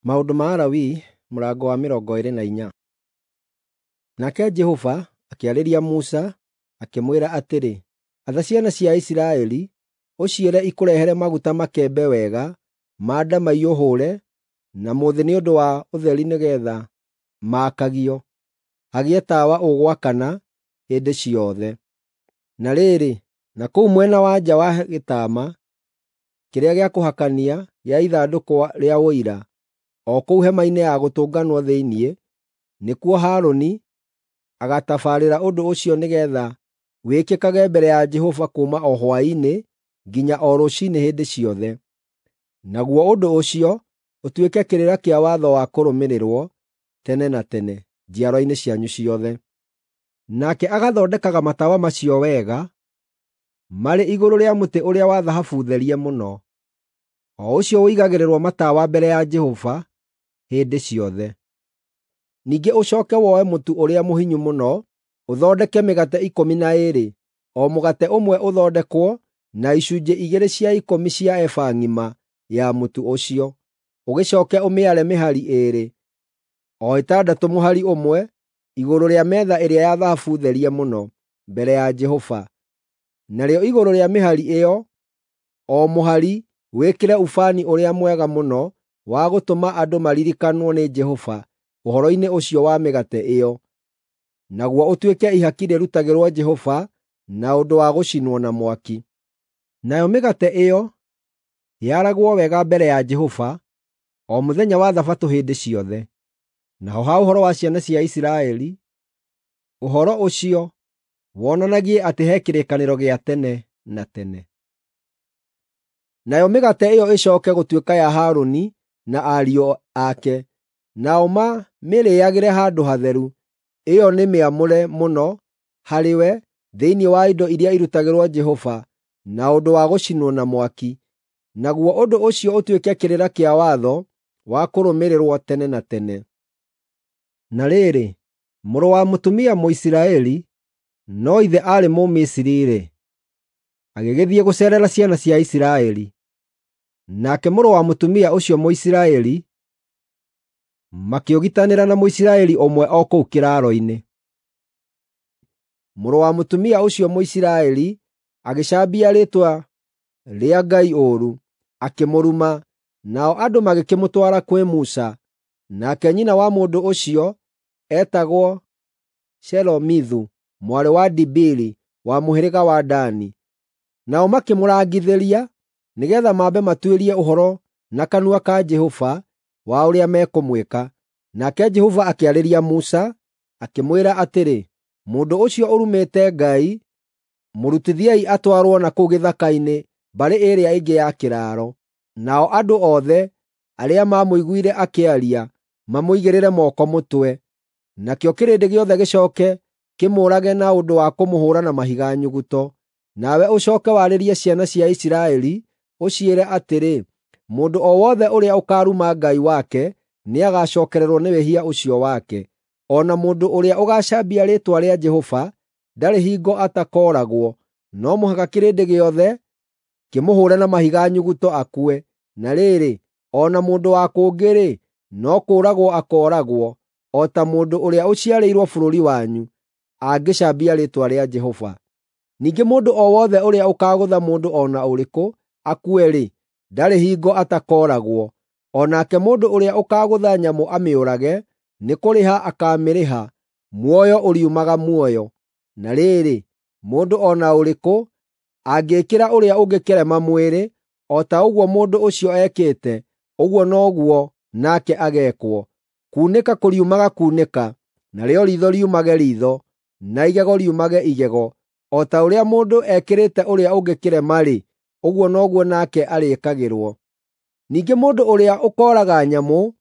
Maũndũ ma Alawii mũrango wa 24. Nake Jehova akĩarĩria Musa, akĩmwĩra atĩrĩ, “Atha ciana cia Isiraeli, ũciĩre ikũrehere maguta makembe wega ma ndamaiyũ hũũre na mũthĩ nĩ ũndũ wa ũtheri nĩgeetha maakagio, hagĩe tawa ũgwakana hĩndĩ ciothe. Na rĩrĩ, na kũu mwena wa nja wa gĩtama kĩrĩa gĩa kũhakania gĩa ithandũkũ rĩa Ũira, o kũu Hema-inĩ-ya-Gũtũnganwo thĩinĩ, nĩkuo Harũni agatabarĩra ũndũ ũcio nĩgeetha wĩkĩkage mbere ya Jehova kuuma o hwaĩ-inĩ nginya o rũciinĩ hĩndĩ ciothe. Naguo ũndũ ũcio ũtuĩke kĩrĩra kĩa watho wa kũrũmĩrĩrwo tene na tene njiarwa-inĩ cianyu ciothe. Nake agathondekaga matawa macio wega, marĩ igũrũ rĩa mũtĩ ũrĩa wa thahabu therie mũno, o ũcio ũigagĩrĩrwo matawa mbere ya Jehova hĩndĩ ciothe. Ningĩ ũcooke woe mũtu ũrĩa mũhinyu mũno, ũthondeke mĩgate 12, o mũgate ũmwe ũthondekwo na icunjĩ igĩrĩ cia ikũmi cia eba ng'ima ya mũtu ũcio. Ũgĩcooke ũmĩare mĩhari ĩĩrĩ, o ĩtandatũ mũhari ũmwe, igũrũ rĩa metha ĩrĩa ya thahabu therie mũno, mbere ya Jehova. Narĩo igũrũ rĩa mĩhari ĩyo, o mũhari wĩkĩre ubani ũrĩa mwega mũno wa gũtũma andũ maririkanwo nĩ Jehova ũhoro-inĩ ũcio wa mĩgate ĩyo, naguo ũtuĩke ihaki rĩrutagĩrwo Jehova na ũndũ wa gũcinwo na mwaki. Nayo mĩgate ĩyo yaragwo wega mbere ya Jehova o mũthenya wa Thabatũ hĩndĩ ciothe. Naho ha ũhoro wa ciana cia Isiraeli, ũhoro ũcio wonanagie atĩ he kĩrĩkanĩro gĩa tene na tene. Nayo mĩgate ĩyo ĩcooke gũtuĩka ya Harũni na ariũ ake, nao mamĩrĩĩagĩre handũ hatheru. Ĩyo nĩ mĩamũre mũno harĩwe thĩinĩ wa indo iria irutagĩrwo Jehova na ũndũ wa gũcinwo na mwaki. Naguo ũndũ ũcio ũtuĩke kĩrĩra kĩa watho wa kũrũmĩrĩrwo tene na tene. Na rĩrĩ, mũrũ wa mũtumia Mũisiraeli, no ithe aarĩ Mũmisiri-rĩ, agĩgĩthiĩ gũceerera ciana cia Isiraeli. Nake mũrũ wa mũtumia ũcio Mũisiraeli makĩũgitanĩra na Mũisiraeli ũmwe o kũu kĩraaro-inĩ. Mũrũ wa mũtumia ũcio Mũisiraeli agĩcambia rĩĩtwa rĩa Ngai ũũru, akĩmũruma, nao andũ magĩkĩmũtwara kwĩ Musa. Nake nyina wa mũndũ ũcio eetagwo Shelomithu mwarĩ wa Dibiri wa mũhĩrĩga wa Dani. Nao makĩmũrangithĩria nĩgeetha mambe matuĩrie ũhoro na kanua ka Jehova wa ũrĩa mekũmwĩka. Nake Jehova akĩarĩria Musa, akĩmwĩra atĩrĩ, “Mũndũ ũcio ũrumĩte Ngai, mũrutithiei atwarwo na kũu gĩthaka-inĩ mbarĩ ĩrĩa ĩngĩ ya kĩraaro, nao andũ othe arĩa maamũiguire akĩaria mamũigĩrĩre moko mũtwe. Nakĩo kĩrĩndĩ gĩothe gĩcooke kĩmũũrage na ũndũ wa kũmũhũũra na mahiga nyuguto. Nawe ũcooke warĩrie ciana cia Isiraeli, ũciĩre atĩrĩ, ‘Mũndũ o wothe ũrĩa ũkaaruma Ngai wake nĩagacookererwo nĩ wĩhia ũcio wake. O na mũndũ ũrĩa ũgaacambia rĩĩtwa rĩa Jehova ndarĩ hingo atakooragwo. No mũhaka kĩrĩndĩ gĩothe kĩmũhũũre na mahiga nyuguto akue. Na rĩrĩ, o na mũndũ wa kũngĩ-rĩ, no kũũragwo akooragwo, o ta mũndũ ũrĩa ũciarĩirwo bũrũri wanyu, angĩcambia rĩĩtwa rĩa Jehova. Ningĩ mũndũ o wothe ũrĩa ũkaagũtha mũndũ o na ũrĩkũ akue-rĩ, ndarĩ hingo atakooragwo. O nake mũndũ ũrĩa ũkaagũtha nyamũ amĩũrage, nĩ kũrĩha akaamĩrĩha, muoyo ũriumaga muoyo. Na rĩrĩ, mũndũ o na ũrĩkũ angĩĩkĩra ũrĩa ũngĩ kĩrema mwĩrĩ, o ta ũguo mũndũ ũcio ekĩte, ũguo noguo nake ageekwo. Kunĩka kũriumaga kunĩka, narĩo riitho riumage riitho, na igego riumage igego. O ta ũrĩa mũndũ ekĩrĩte ũrĩa ũngĩ kĩrema-rĩ, ũguo noguo nake arĩĩkagĩrwo. Ningĩ mũndũ ũrĩa ũkooraga nyamũ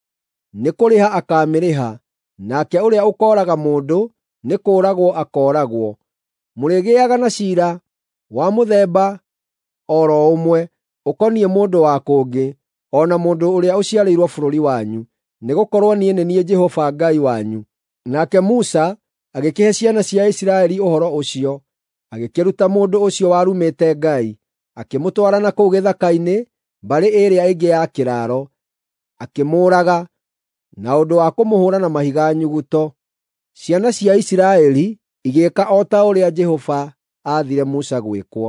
nĩ kũrĩha akaamĩrĩha, nake ũrĩa ũkooraga mũndũ nĩ kũũragwo akooragwo. Mũrĩgĩaga na ciira wa mũthemba o ro ũmwe ũkoniĩ mũndũ wa kũngĩ, o na mũndũ ũrĩa ũciarĩirwo bũrũri wanyu, nĩgũkorwo niĩ nĩ niĩ Jehova Ngai wanyu.” Nake Musa agĩkĩhe ciana cia Isiraeli ũhoro ũcio, agĩkĩruta mũndũ ũcio warumĩte Ngai, akĩmũtwara na kũu gĩthaka-inĩ mbarĩ ĩrĩa ĩngĩ ya kĩraaro. akĩmũũraga na ũndũ wa kũmũhũũra na mahiga nyuguto. Ciana cia Isiraeli igĩĩka o ta ũrĩa Jehova aathire Musa gwĩkwo.